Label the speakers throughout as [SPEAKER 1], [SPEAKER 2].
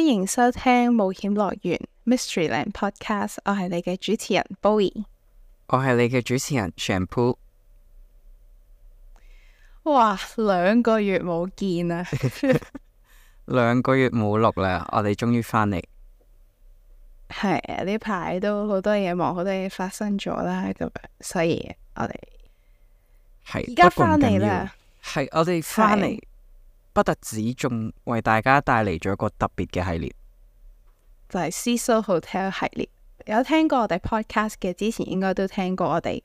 [SPEAKER 1] 迎收聽冒險樂園 Mysteryland Podcast， 我係你嘅主持人 Bowie，
[SPEAKER 2] 我係你嘅主持人 Shampoo。
[SPEAKER 1] 哇，2個月冇見啦
[SPEAKER 2] 2個月冇錄啦，我哋終於返嚟。
[SPEAKER 1] 係啊，呢排都好多嘢忙，好多嘢發生咗啦，咁樣，所以我哋
[SPEAKER 2] 係
[SPEAKER 1] 而家返嚟啦。
[SPEAKER 2] 係我哋返嚟，不特止仲為大家帶嚟咗一個特別嘅系列，
[SPEAKER 1] 就係 Cecil Hotel 系列。有聽過我哋 podcast 嘅，之前應該都聽過我哋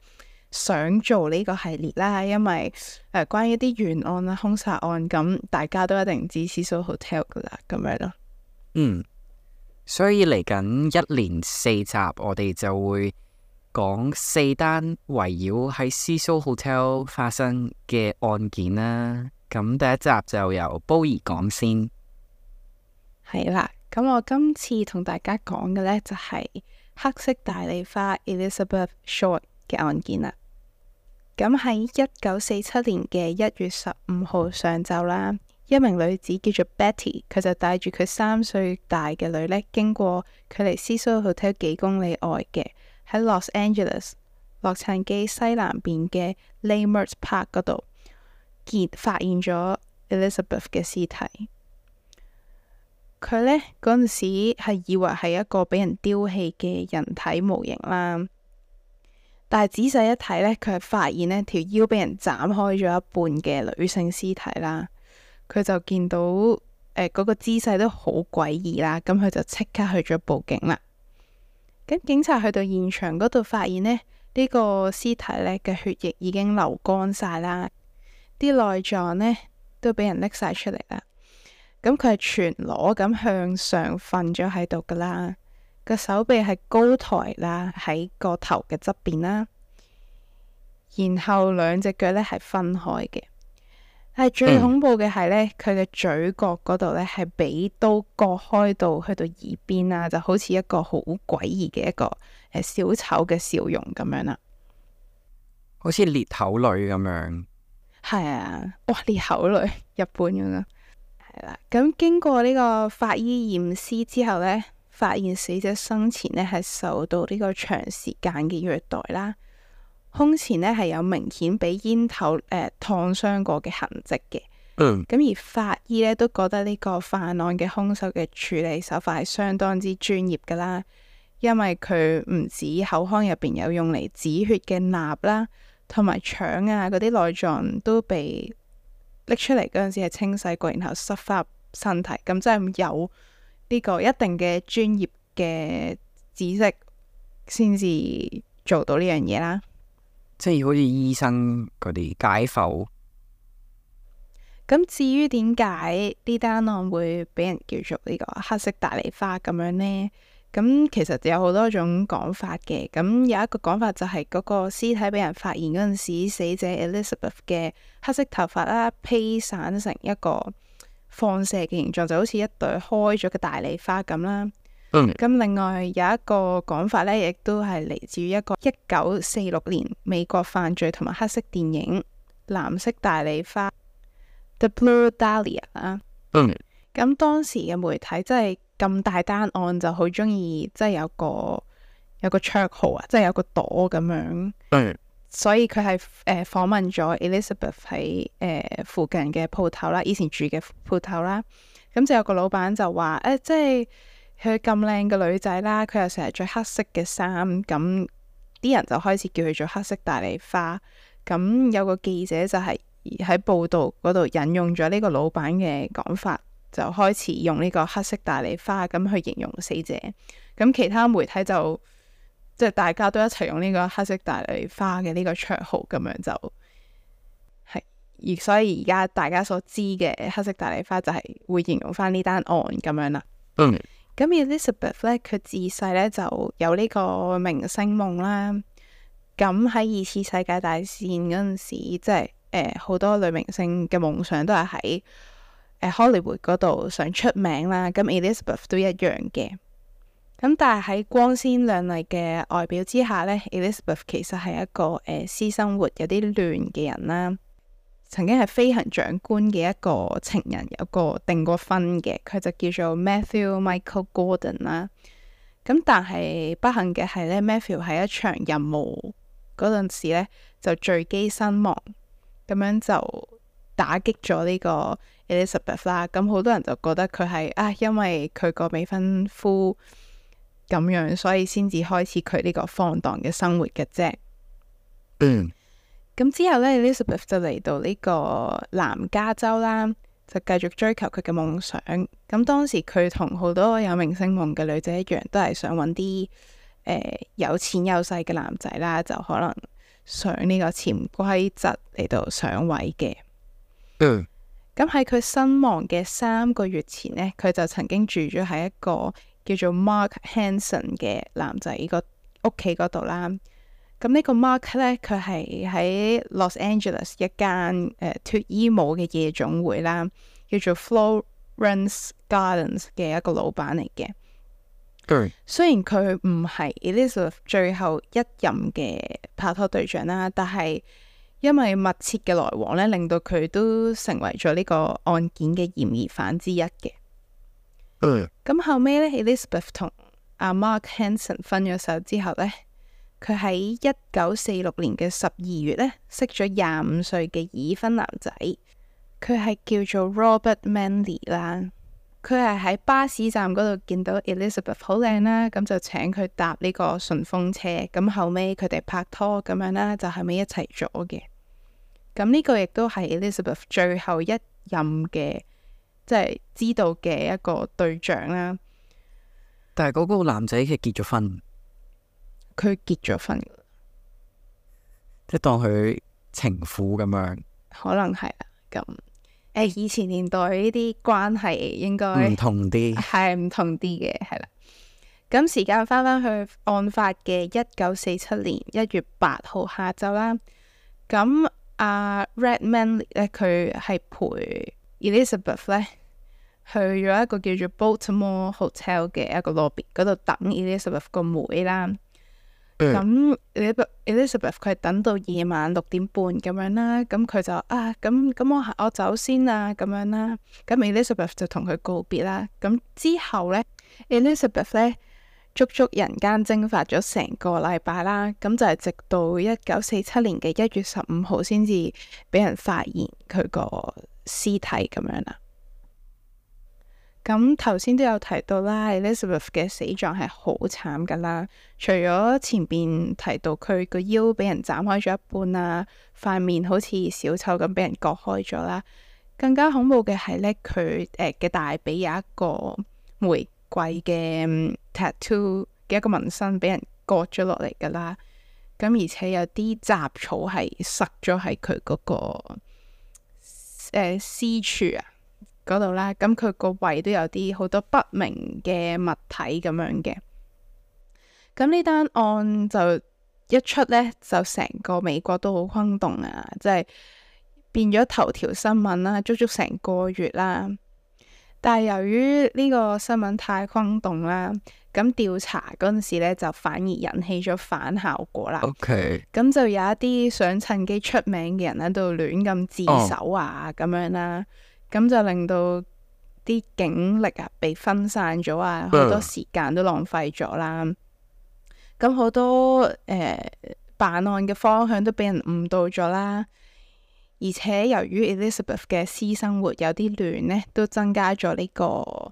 [SPEAKER 1] 想做呢個系列啦，因為關於啲懸案啦、兇殺案，咁大家都一定知 Cecil Hotel 噶啦，咁樣咯。
[SPEAKER 2] 所以嚟緊1連4集，我哋就會講4單圍繞喺 Cecil Hotel 發生嘅案件啦。咁第一集就由 Bowie 講先。
[SPEAKER 1] 係啦，咁我今次同大家講嘅呢，就係黑色大麗花 Elizabeth Short 嘅案件啦。咁喺1947年嘅1月15號上晝啦，一名女子叫做 Betty， 佢就帶住佢3歲大嘅女呢，經過距離 Cecil Hotel 幾公里外嘅喺 Los Angeles 洛杉磯西南邊嘅 Leimert Park 嗰度，發現咗 Elizabeth 嘅屍體。佢呢嗰陣時係以為係一個俾人丟棄嘅人體模型啦，但係仔細一睇呢，佢係發現呢條腰俾人斬開咗一半嘅女性屍體啦。佢就見到嗰個姿勢都好詭異啦，咁佢就即刻去咗報警啦。咁警察去到現場嗰度發現呢個屍體呢嘅血液已經流乾晒啦，啲內臟呢都俾人拎晒出嚟啦。咁佢係全裸咁向上瞓咗喺度噶啦，個手臂係高抬啦，喺個頭嘅側邊啦，然後2隻腳呢係分開嘅。但係最恐怖嘅係呢，佢嘅嘴角嗰度呢係俾刀割開到去到耳邊啦，就好似一個好詭異嘅一個小丑嘅笑容咁樣啦，
[SPEAKER 2] 好似裂口女咁樣。
[SPEAKER 1] 係啊，哇，裂口女日本咁樣。係啦，咁經過呢個法醫驗屍之後呢，發現死者生前呢係受到呢個長時間嘅虐待啦，胸前呢係有明顯俾煙頭燙傷過嘅痕跡嘅。咁而法醫呢都覺得呢個犯案嘅兇手嘅處理手法係相當之專業噶啦，因為佢唔止口腔入邊有用嚟止血嘅鈉啦，同埋腸啊嗰啲內臟都被拎出嚟嗰陣時係清洗過，然後塞翻入身體，咁真係有呢個一定嘅專業嘅知識先至做到呢樣嘢啦。
[SPEAKER 2] 即係好似醫生嗰啲解剖。
[SPEAKER 1] 咁至於點解呢單案會俾人叫做呢個黑色大麗花咁樣呢？咁其實有好多種講法嘅。咁有一個講法就係嗰個屍體俾人發現嗰陣時，死者 Elizabeth 嘅黑色頭髮啦披散成一個放射嘅形狀，就好似一朵開咗嘅大麗花咁啦。咁另外有一個講法呢，亦都係嚟自於一個1946年美國犯罪同埋黑色電影《藍色大麗花》The Blue Dahlia 啦。咁當時嘅媒體真係咁大單案就好中意，即係有個綽號啊，即係有個朵咁樣。所以佢係訪問咗 Elizabeth 喺附近嘅鋪頭啦，以前住嘅鋪頭啦。咁就有個老闆就話即係佢咁靚嘅女仔啦，佢又成日着黑色嘅衫，咁啲人就開始叫佢做黑色大麗花。咁有個記者就係喺報道嗰度引用咗呢個老闆嘅講法，就開始用呢個黑色大麗花咁去形容死者。咁其他媒體就即係大家都一齊用呢個黑色大麗花嘅呢個綽號，咁樣就係。而所以而家大家所知嘅黑色大麗花就係會形容翻呢單案咁樣啦。咁 Elizabeth 呢，佢自細呢就有呢個明星夢啦。咁喺2次世界大戰嗰陣時，即係好多女明星嘅夢想都係喺Hollywood 嗰度想出名啦。咁 Elizabeth 都一樣嘅。咁但係喺光鮮亮麗嘅外表之下呢， Elizabeth 其實係一個私生活有啲亂嘅人啦。曾經係飛行長官嘅一個情人，有個訂過婚嘅，佢就叫做 Matthew Michael Gordon 啦。咁但係不幸嘅係咧，Matthew 喺一場任務嗰陣時咧就墜機身亡，咁樣就打擊咗呢個 Elizabeth 啦。咁好多人就覺得佢係因為佢個未婚夫咁樣，所以先至開始佢呢個放蕩嘅生活嘅啫。咁之後咧 Elizabeth 就嚟到呢個南加州啦，就繼續追求佢嘅夢想。咁當時佢同好多有明星夢嘅女仔一樣，都係想揾啲有錢有勢嘅男仔啦，就可能上呢個潛規則嚟到上位嘅。咁喺佢身亡嘅3個月前呢，佢就曾經住咗喺一個叫做 Mark Hanson 嘅男仔個屋企嗰度啦。咁呢個 Mark 呢，佢係喺 Los Angeles 一間脫衣舞嘅夜總會啦，叫做 Florence Gardens 嘅一個老闆嚟嘅。雖然佢唔係 Elizabeth 最後一任嘅拍拖對象啦，但係因為密切嘅來往呢，令到佢都成為咗呢個案件嘅嫌疑犯之一嘅。咁後尾呢 Elizabeth 同阿 Mark Hanson 分咗手之後呢，佢喺1946年嘅12月呢，識咗25歲嘅已婚男仔，佢係叫做 Robert Manley 啦。佢係喺巴士站嗰度見到 Elizabeth 好靚啦，咁就請佢搭呢個順風車。咁後尾佢哋拍拖咁樣啦，就後尾一齊咗嘅。咁呢個亦都係 Elizabeth 最後一任嘅，即係知道嘅一個對象啦。
[SPEAKER 2] 但係嗰個男仔係結咗婚。
[SPEAKER 1] 佢結咗婚，
[SPEAKER 2] 即係當佢情婦咁樣，
[SPEAKER 1] 可能係啦。咁以前年代呢啲關係應該
[SPEAKER 2] 唔同啲，
[SPEAKER 1] 係唔同啲嘅，係啦。咁時間翻去案發嘅1947年1月8號下晝啦。咁阿 Red Manley 咧，佢係陪 Elizabeth 咧去咗一個叫做 Baltimore Hotel 嘅一個 lobby 嗰度等 Elizabeth 個妹啦。咁 Elizabeth 佢係等到夜晚6點半咁樣啦，咁佢就咁我走先啦咁樣啦。咁 Elizabeth 就同佢告別啦。咁之後呢 Elizabeth 呢足足人間蒸發咗成個禮拜啦。咁就係直到1947年嘅1月15號先至俾人發現佢個屍體咁樣啦。咁頭先都有提到啦 Elizabeth 嘅死狀係好慘噶啦。除咗前邊提到佢個腰俾人斬開咗一半啊，塊面好似小丑咁俾人割開咗啦，更加恐怖嘅係呢，佢嘅大髀有一個玫瑰嘅tattoo 嘅一個紋身俾人割咗落嚟噶啦。咁而且有啲雜草係塞咗喺佢嗰個私處啊嗰度啦，咁佢個胃都有啲好多不明嘅物體咁樣嘅。咁呢單案就一出呢，就成個美國都好轟動啊，即係變咗頭條新聞啦，足足成個月啦。但係由於呢個新聞太轟動啦，咁調查嗰陣時呢就反而引起咗反效果啦。咁就有一啲想趁機出名嘅人喺度亂咁自首啊咁樣啦。咁就令到啲警力啊被分散咗啊，好多時間都浪費咗啦。咁好多辦案嘅方向都俾人誤導咗啦。而且由於 Elizabeth 嘅私生活有啲亂呢，都增加咗呢個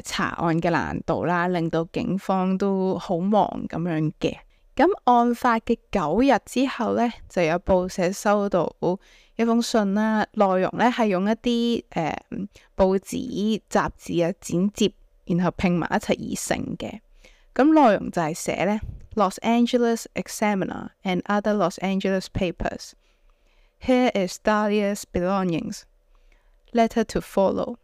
[SPEAKER 1] 查案嘅難度啦，令到警方都好忙咁樣嘅。咁案發嘅9日之後呢，就有報社收到一封信啦，內容呢係用一啲報紙雜誌啊剪接，然後拼埋一齊而成嘅。咁內容就係寫呢 Los Angeles Examiner and other Los Angeles papers. Here is Dahlia's belongings. Letter to follow.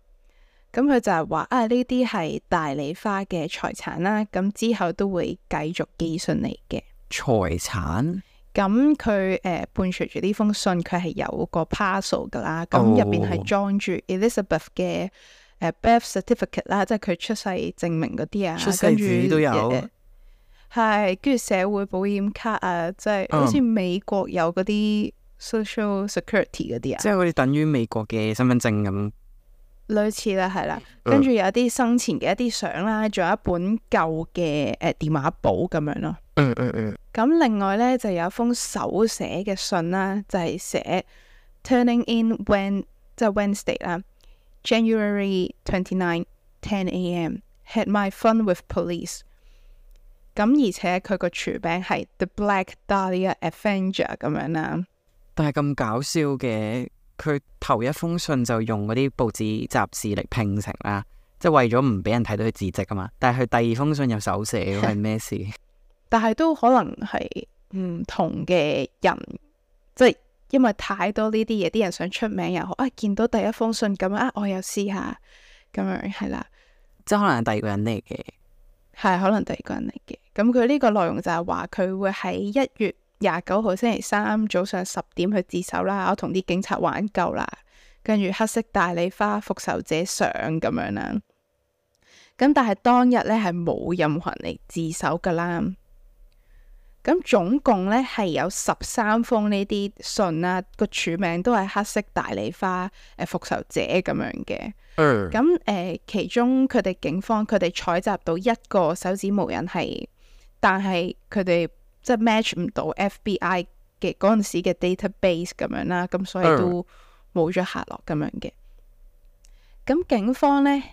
[SPEAKER 1] 咁佢就係話呢啲係大麗花嘅財產啦，咁之後都會繼續寄信嚟嘅
[SPEAKER 2] 財產。
[SPEAKER 1] 咁佢伴隨住呢封信，佢係有個 parcel 噶啦，咁入邊係裝住 Elizabeth 嘅birth certificate 啦，即係佢出世證明嗰啲啊，
[SPEAKER 2] 出世紙都有，
[SPEAKER 1] 係跟住社會保險卡啊，即係好似美國有嗰啲 social security 嗰啲啊，
[SPEAKER 2] 即係好似等於美國嘅身份證咁。
[SPEAKER 1] 類似啦，係啦。跟住有啲生前嘅一啲相啦，仲有一本舊嘅電話簿咁樣咯。咁另外咧就有一封手寫嘅信啦，就係寫 turning in when 即係 Wednesday 啦，January 29 10 a.m. had my fun with police。咁而且佢個署名係 The Black Dahlia Avenger 咁樣啦。
[SPEAKER 2] 但係咁搞笑嘅，佢頭一封信就用嗰啲報紙雜誌嚟拼成啦，即係為咗唔俾人睇到佢字跡啊嘛。但係佢第二封信有手寫，係咩事？
[SPEAKER 1] 但係都可能係唔同嘅人，即係因為太多呢啲嘢，啲人想出名又好啊，見到第一封信咁啊，我又試下咁樣係啦，
[SPEAKER 2] 即係可能係第二個人嚟嘅，
[SPEAKER 1] 係可能第二個人嚟嘅。咁佢呢個內容就係話佢會喺1月29號星期三早上10點去自首啦，我同啲警察玩夠啦，跟住黑色大理花復仇者相咁樣啦。咁但係當日咧係冇任何人嚟自首噶啦。咁總共咧係有13封呢啲信啦，個署名都係黑色大理花復仇者咁樣嘅。咁其中佢哋警方佢哋採集到一個手指模印係，但係佢哋即係 match 唔到 FBI 嘅嗰陣時嘅 database 咁樣啦，咁所以都冇咗下落咁樣嘅。咁警方咧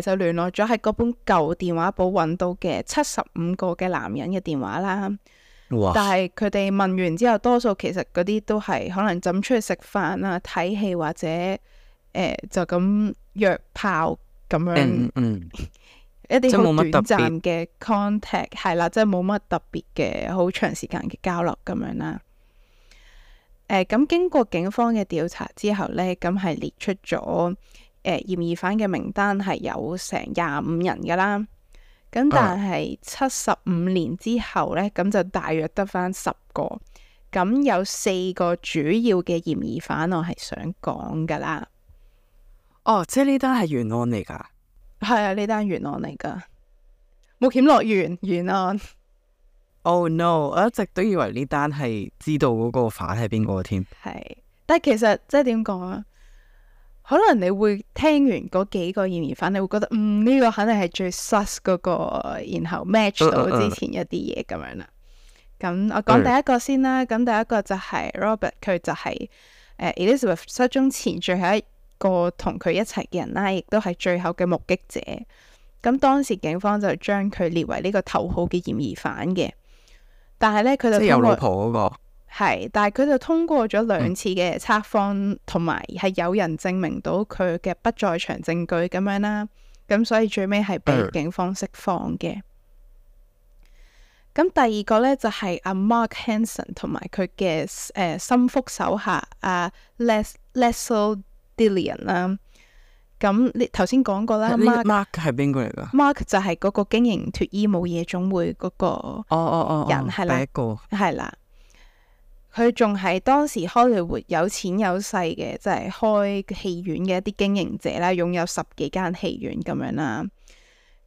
[SPEAKER 1] 就聯絡咗喺嗰本舊電話簿揾到嘅75個嘅男人嘅電話啦。
[SPEAKER 2] 哇！
[SPEAKER 1] 但係佢哋問完之後，多數其實嗰啲都係可能浸出去食飯啊、睇戲或者就咁約炮咁樣，一啲好短暫嘅 contact 係啦，即係冇乜特別嘅好長時間嘅交流咁樣啦。咁經過警方嘅調查之後呢，咁係列出咗嫌疑犯嘅名單係有成25人噶啦。咁但係75年之後呢，咁就大約得返10個。咁有4個主要嘅嫌疑犯，我係想講噶啦。
[SPEAKER 2] 哦，即係呢單係懸案嚟噶？
[SPEAKER 1] 係啊，呢單懸案嚟噶，冒險樂園懸案。
[SPEAKER 2] Oh no！ 我一直都以為呢單係知道嗰個犯係邊個添。
[SPEAKER 1] 係，但係其實即係點講啊？可能你會聽完嗰幾個嫌疑犯，你會覺得呢個肯定係最 sus 嗰個，然後 match 到之前一啲嘢咁樣啦。咁我講第一個先啦。咁第一個就係 Robert， 佢就係Elizabeth 失蹤前最後一個同佢一齊嘅人啦，亦都係最後嘅目擊者。咁當時警方就將佢列為呢個頭號嘅嫌疑犯嘅，但係呢，佢就
[SPEAKER 2] 即係有老婆嗰個。
[SPEAKER 1] 係，但係佢就通過咗2次嘅測謊，同埋係有人證明到佢嘅不在場證據咁樣啦。咁所以最尾係被警方釋放嘅。咁第二個呢，就係阿 Mark Hanson 同埋佢嘅心腹手下阿 Leslie Dillon 啦。咁你頭先講過啦
[SPEAKER 2] ，Mark 係邊個嚟噶
[SPEAKER 1] ？Mark 就係嗰個經營脫衣舞夜總會嗰個人，係啦，
[SPEAKER 2] 第一個
[SPEAKER 1] 係啦。佢仲係當時荷里活有錢有勢嘅，即係開戲院嘅一啲經營者啦，擁有10幾間戲院咁樣啦。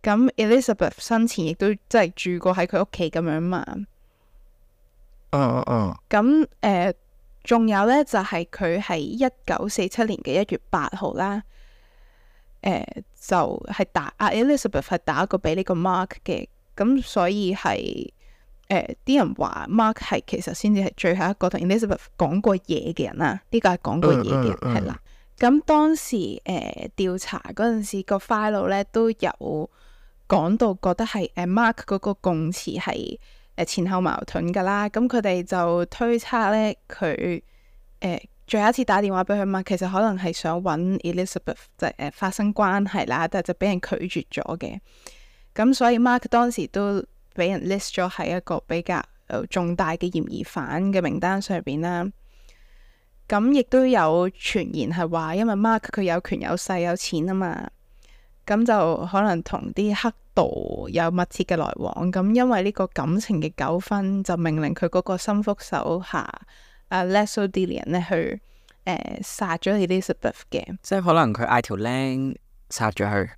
[SPEAKER 1] 咁 Elizabeth 生前亦都即係住過喺佢屋企咁樣嘛。咁仲有呢，就係佢係1947年嘅1月8號啦。就係Elizabeth 係打過俾呢個 Mark 嘅，咁所以係。啲人話 Mark 係其實先至係最後一個同 Elizabeth 講過嘢嘅人啦，呢個係講過嘢嘅人係啦。咁當時調查嗰陣時個 file 咧都有講到，覺得係Mark 嗰個供詞係前後矛盾噶啦。咁佢哋就推測咧佢最後一次打電話俾佢嘛，其實可能係想揾 Elizabeth 就發生關係啦，但係就俾人拒絕咗嘅。咁所以 Mark 當時都俾人 list 咗喺一個比較重大嘅嫌疑犯嘅名單上邊啦。咁亦都有傳言係話，因為 Mark 佢有權有勢有錢啊嘛，咁就可能同啲黑道有密切嘅來往。咁因為呢個感情嘅糾紛，就命令佢嗰個心腹手下Leslie Dillon 咧去殺咗 Elizabeth 嘅。
[SPEAKER 2] 即係可能佢嗌條僆殺咗佢。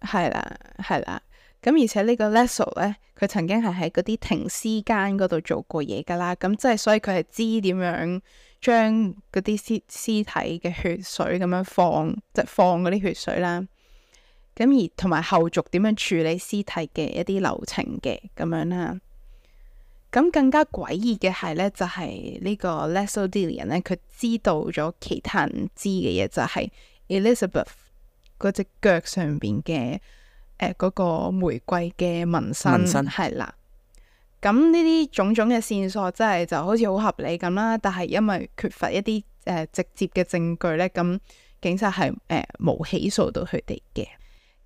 [SPEAKER 1] 係啦，係啦。咁而且呢個 Leslie 咧，佢曾經係喺嗰啲停屍間嗰度做過嘢噶啦，咁即係所以佢係知點樣將嗰啲屍體嘅血水咁樣放，即係放嗰啲血水啦。咁而同埋後續點樣處理屍體嘅一啲流程嘅咁樣啦。咁更加詭異嘅係呢，就係呢個 Leslie Dillon 呢，佢知道咗其他人唔知嘅嘢，就係 Elizabeth 嗰隻腳上邊嘅嗰個玫瑰嘅紋身係啦。咁呢啲種種嘅線索真係就好似好合理咁啦，但係因為缺乏一啲直接嘅證據呢，咁警察係冇起訴到佢哋嘅。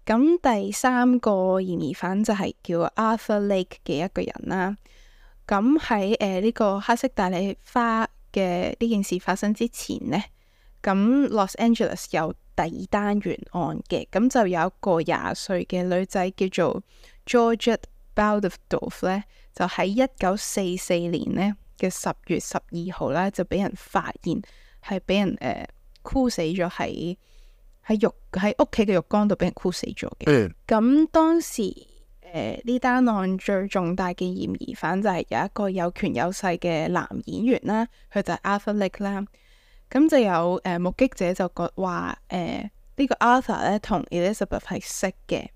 [SPEAKER 1] 咁第三個嫌疑犯就係叫 Arthur Lake 嘅一個人啦。咁喺呢個黑色大麗花嘅呢件事發生之前呢，咁 Los Angeles 有第二單懸案嘅，咁就有一個20歲嘅女仔叫做 Georgette Baldoff 咧，就喺1944年呢嘅10月12號咧，就俾人發現係俾人箍死咗喺屋企嘅浴缸度俾人箍死咗嘅。咁當時呢單案最重大嘅嫌疑犯就係有一個有權有勢嘅男演員啦，佢就係 Arthur Lake 啦。咁就有目擊者就話呢個 Arthur 咧同 Elizabeth 係識嘅，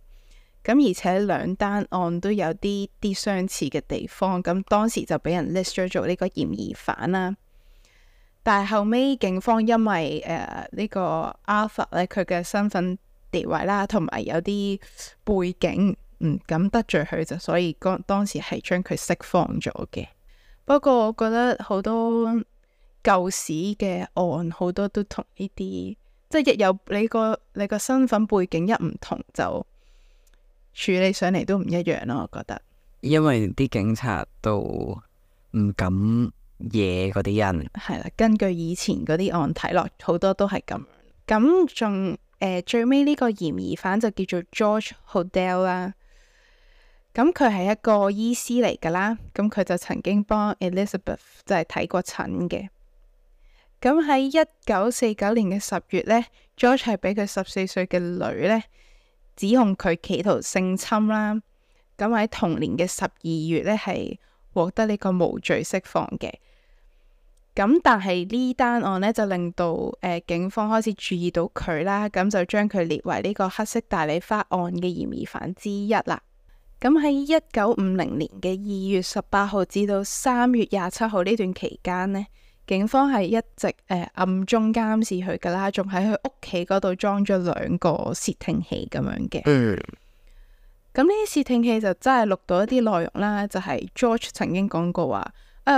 [SPEAKER 1] 咁而且兩單案都有啲相似嘅地方，咁當時就俾人 list 咗做呢個嫌疑犯啦。但係後尾警方因為呢個 Arthur 咧佢嘅身份地位啦，同埋有啲背景唔敢得罪佢，就所以當時係將佢釋放咗嘅。不過我覺得好多舊時嘅案好多都同呢啲，即係一有你個身份背景一唔同，就處理上嚟都唔一樣咯。我覺得，因為啲警察都唔敢惹嗰啲人，係啦。根據以前嗰啲案睇落，好多都係咁。咁仲最尾呢個嫌疑犯就叫做 George Hodel 啦。咁佢係一個醫師嚟噶啦，咁佢就曾經幫 Elizabeth 就係睇過診嘅。咁喺1949年嘅10月呢， George 係俾佢14歲嘅女呢指控佢企圖性侵啦。咁喺同年嘅12月呢，係獲得呢個無罪釋放嘅。咁但係呢單案呢，就令到警方開始注意到佢啦，咁就將佢列為呢個黑色大麗花案嘅嫌疑犯之一啦。咁喺1950年嘅2月18號至到3月27號呢段期間呢，警方係一直暗中監視佢噶啦，仲喺佢屋企嗰度裝咗2個竊聽器咁樣嘅。咁呢啲竊聽器就真係錄到一啲內容啦，就係 George 曾經講過話，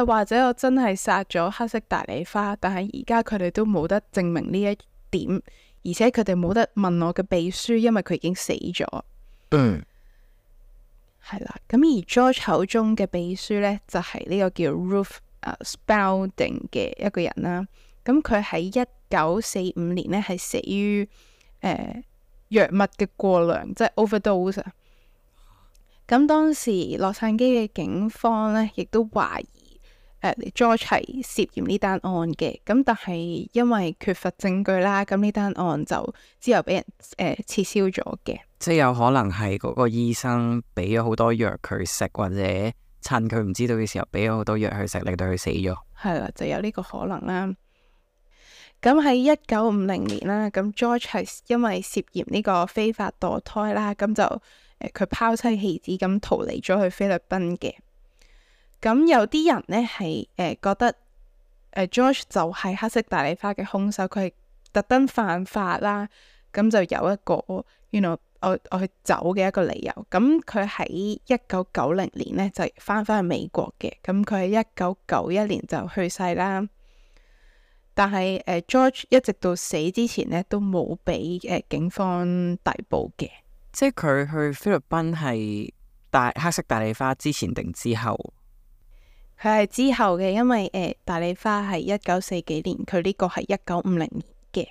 [SPEAKER 1] 或者我真係殺咗黑色大麗花，但係而家佢哋都冇得證明呢一點，而且佢哋冇得問我嘅秘書，因為佢已經死咗。係啦，咁而 George 口中嘅秘書呢，就係呢個叫 Ruth Spalding 嘅一個人啦。咁佢喺1945年呢，係死於藥物嘅過量，即係 overdose。咁當時洛杉磯嘅警方呢，亦都懷疑George 係涉嫌呢單案嘅。咁但係因為缺乏證據啦，咁呢單案就之後俾人撤銷咗嘅。即係有可能係嗰個醫生俾咗好多藥佢食，或者趁佢唔知道嘅時候俾咗好多藥佢食，令到佢死咗。係啦，就有呢個可能啦。咁喺1950年啦，咁 George 係因為涉嫌呢個非法墮胎啦，咁就佢拋妻棄子咁逃離咗去菲律賓嘅。咁有啲人呢係覺得George 就係黑色大麗花嘅兇手，佢係特登犯法啦，咁就有一個我去走嘅一個理由。咁佢喺1990年呢就翻去美國嘅，咁佢喺1991年就去世啦。但係George 一直到死之前呢都冇俾警方逮捕嘅。即係佢去菲律賓係黑色大麗花之前定之後？佢係之後嘅，因為大麗花係1940幾年，佢呢個係1950年嘅。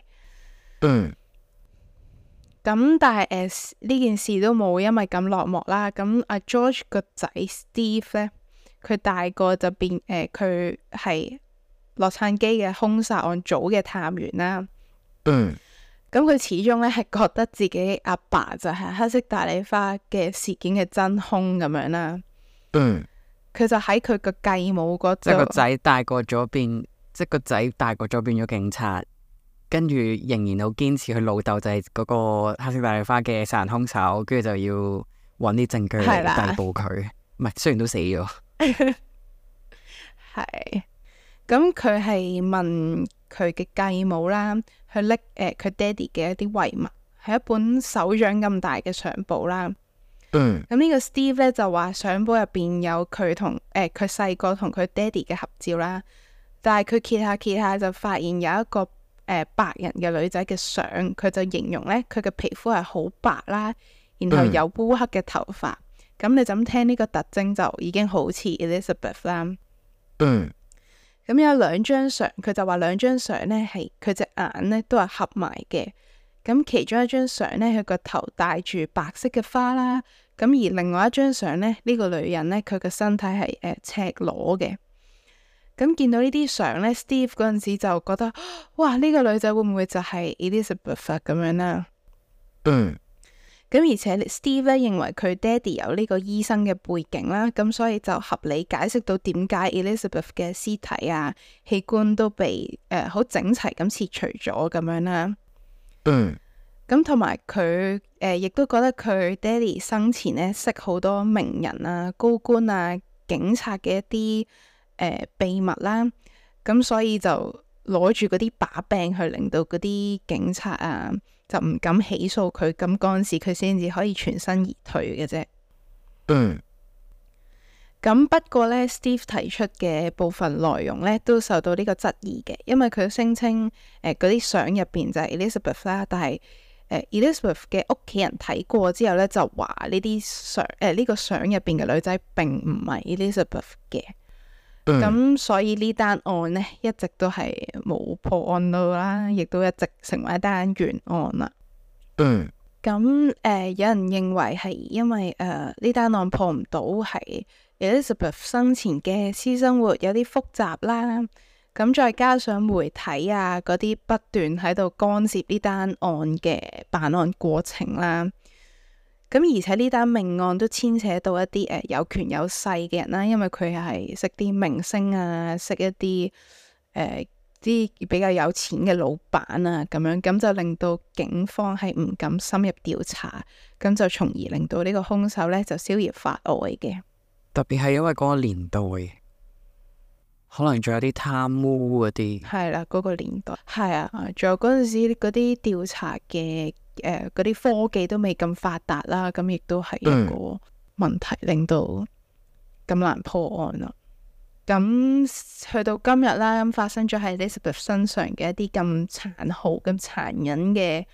[SPEAKER 1] 咁但係呢件事都冇因為咁落幕啦。咁阿 George 個仔 Steve 呢，佢大個就變佢係洛杉磯嘅兇殺案組嘅探員啦。咁佢始終咧係覺得自己阿爸就係黑色大麗花嘅事件嘅真兇咁樣啦。佢就喺佢個繼母嗰度，即係個仔大個咗變
[SPEAKER 2] 即係個仔大個咗變咗警察，跟住仍然好堅持佢老豆就係嗰個黑色大麗花嘅殺人兇手，跟住就要揾啲證據嚟逮捕佢。唔係，雖然都死咗。
[SPEAKER 1] 係。咁佢係問佢嘅繼母啦，去拎佢爹哋嘅一啲遺物，係一本手掌咁大嘅相簿啦。咁呢個 Steve 咧就話相簿入邊有佢同佢細個同佢爹哋嘅合照啦，但係佢揭下就發現有一個白人嘅女仔嘅相，佢就形容咧佢嘅皮膚係好白啦，然後有烏黑嘅頭髮。咁你就咁聽呢個特徵就已經好似 Elizabeth 啦。咁有兩張相，佢就話兩張相呢係佢隻眼呢都係合埋嘅。咁其中一張相呢，佢個頭戴住白色嘅花啦。咁而另外一張相呢，呢個女人呢，佢個身體係赤裸嘅。咁見到呢啲相呢， Steve 嗰陣時就覺得，哇！呢個女仔會唔會就係 Elizabeth 咁樣啦？咁而且 Steve 咧認為佢爹哋有呢個醫生嘅背景啦，咁所以就合理解釋到點解 Elizabeth 嘅屍體啊、器官都被好整齊咁切除咗咁樣啦。咁同埋佢亦都覺得佢爹哋生前呢識好多名人啊、高官啊、警察嘅一啲秘密啦，咁所以就攞住嗰啲把柄去令到嗰啲警察啊就唔敢起訴佢，咁嗰陣時佢先至可以全身而退嘅啫。咁不過呢 Steve 提出嘅部分內容呢都受到呢個質疑嘅，因為佢聲稱嗰啲相入邊就係 Elizabeth 啦，但係Elizabeth 嘅屋企人睇過之後呢，就話呢啲相呢個相入邊嘅女仔並唔係 Elizabeth 嘅。咁所以呢單案呢，一直都係冇破案到啦，亦都一直成為一單懸案啦。咁有人認為係因為呢單案破唔到，係 Elizabeth 生前嘅私生活有啲複雜啦。咁再加上媒體啊嗰啲不斷喺度干涉呢單案嘅辦案過程啦。咁而且呢單命案都牽扯到一啲有權有勢嘅人啦，因為佢係識啲明星啊，識一啲啲比較有錢嘅老闆啊，咁樣咁就令到警方係唔敢深入調查，咁就從而令到呢個兇手呢就逍遙法外嘅。
[SPEAKER 2] 特別係因為嗰個年代，可能仲有啲貪污嗰啲。係
[SPEAKER 1] 啦，嗰個年代係啊，仲有嗰陣時嗰啲調查嘅嗰啲科技都未咁發達啦，咁亦都係一個問題，令到咁難破案啦。咁去到今日啦，咁發生咗喺 Elizabeth 身上嘅一啲咁殘酷、咁殘忍嘅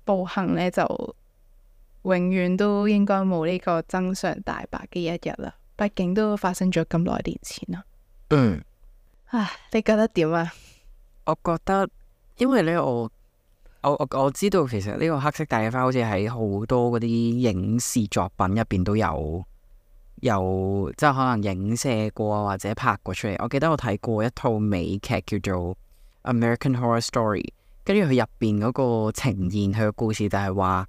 [SPEAKER 1] 暴行呢，就永遠都應該冇呢個真相大白嘅一日啦。畢竟都發生咗咁耐年前啦。你覺得點啊？
[SPEAKER 2] 我覺得，因為呢，我知道其實呢個黑色大麗花好似喺好多嗰啲影視作品入邊都有即係可能影射過或者拍過出嚟。我記得我睇過一套美劇叫做《American Horror Story》，跟住佢入邊嗰個呈現佢嘅故事就係話，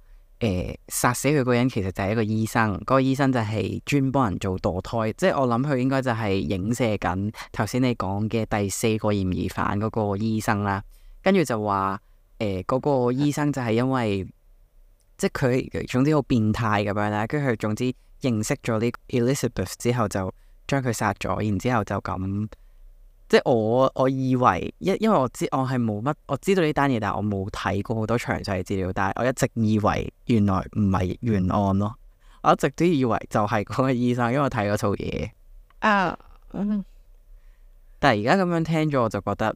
[SPEAKER 2] 殺死佢嗰人其實就係一個醫生，嗰個醫生就係專幫人做墮胎，即係我諗佢應該就係影射緊頭先你講嘅第4個嫌疑犯嗰個醫生啦。跟住就話嗰個醫生就係因為即係佢總之好變態咁樣啦，跟住佢總之認識咗呢 Elizabeth 之後就將佢殺咗，然之後就咁。即係我以為因為我係冇乜，我知道呢單嘢，但係我冇睇過好多詳細資料，但係我一直以為原來唔係懸案咯，我一直都以為就係嗰個醫生，因為我睇嗰套嘢。但係而家咁樣聽咗，我就覺得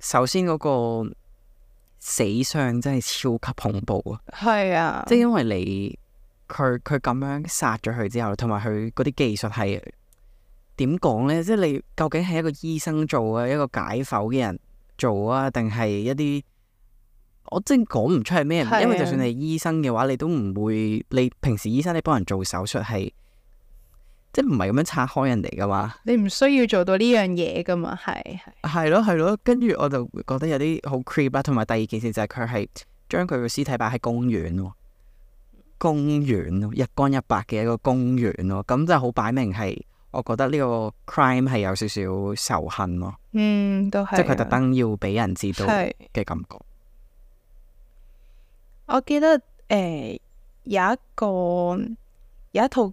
[SPEAKER 2] 首先嗰個死相真係超級恐怖啊！
[SPEAKER 1] 係啊，
[SPEAKER 2] 即係因為佢咁樣殺咗佢之後，同埋佢嗰啲技術係。點講呢？即係你究竟係一個醫生做啊，一個解剖嘅人做啊，定係一啲我真係講唔出係咩人？因為就算你係醫生嘅話，你都唔會，你平時醫生你幫人做手術係即係唔係咁樣拆開人哋噶嘛？你唔需要做到呢樣嘢噶嘛？係咯，跟住我就覺得有啲好 creep 啦。同埋第二件事就係佢係將佢個屍體擺喺公園喎，日光日白嘅一個公園咯，咁就好擺明係我覺得呢個 crime 係有少少仇恨咯，
[SPEAKER 1] 都係。
[SPEAKER 2] 即係佢特登要俾人知道
[SPEAKER 1] 係
[SPEAKER 2] 嘅感覺。
[SPEAKER 1] 我記得有一套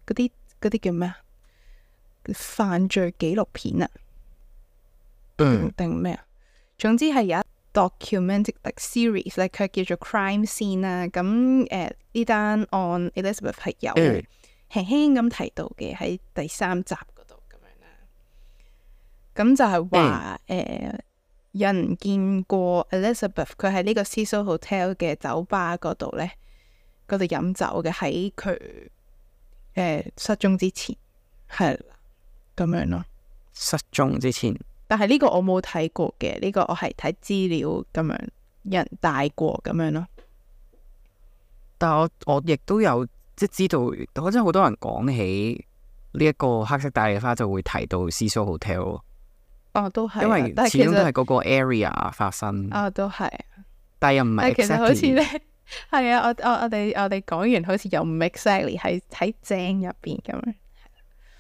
[SPEAKER 1] 嗰啲叫咩啊？犯罪紀錄片啊，定咩啊？總之係有一 documented like series 咧，佢叫做 Crime Scene 啦。咁呢單案 Elizabeth 係有輕輕咁提到嘅喺第3集嗰度咁樣啦。咁就係話有人見過 Elizabeth 佢喺呢個 Cecil Hotel 嘅酒吧嗰度咧，嗰度飲酒嘅，喺佢失蹤之前係啦咁樣咯。
[SPEAKER 2] 失蹤之前，
[SPEAKER 1] 但係呢個我冇睇過嘅，呢個我係睇資料咁樣，有人帶過咁樣咯。
[SPEAKER 2] 但係我亦都有即係知道，我真係好多人講起呢一個黑色大麗花就會提到 Cecil Hotel 咯。
[SPEAKER 1] 哦，都係啊，
[SPEAKER 2] 因為
[SPEAKER 1] 但係
[SPEAKER 2] 始終都係嗰個 area 發生。
[SPEAKER 1] 都係。
[SPEAKER 2] 但係又唔係
[SPEAKER 1] 但係其實好似
[SPEAKER 2] exactly
[SPEAKER 1] 咧，係啊，我哋講完好似又唔 exactly 喺正入邊咁樣。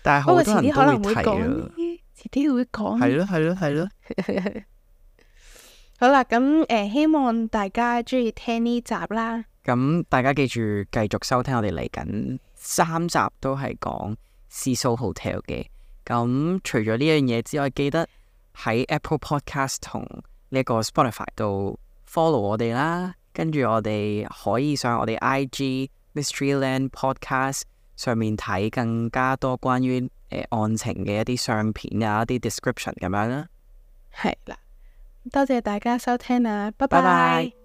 [SPEAKER 2] 但係
[SPEAKER 1] 不過遲
[SPEAKER 2] 好多人都
[SPEAKER 1] 啲可能會
[SPEAKER 2] 會提
[SPEAKER 1] 講
[SPEAKER 2] 啊。
[SPEAKER 1] 遲啲會講。
[SPEAKER 2] 係咯係咯係咯。
[SPEAKER 1] 好啦，咁希望大家中意聽呢集啦。
[SPEAKER 2] 咁大家記住繼續收聽我哋嚟緊3集都係講 Cecil Hotel 嘅。咁除咗呢樣嘢之外，記得喺 Apple Podcast 同呢一個 Spotify 度 follow 我哋啦。跟住我哋可以上我哋 IG Mysteryland Podcast 上面睇更加多關於案情嘅一啲相片啊，一啲 description 咁樣啦。
[SPEAKER 1] 係啦，多謝大家收聽啦，拜
[SPEAKER 2] 拜
[SPEAKER 1] 拜。
[SPEAKER 2] 拜。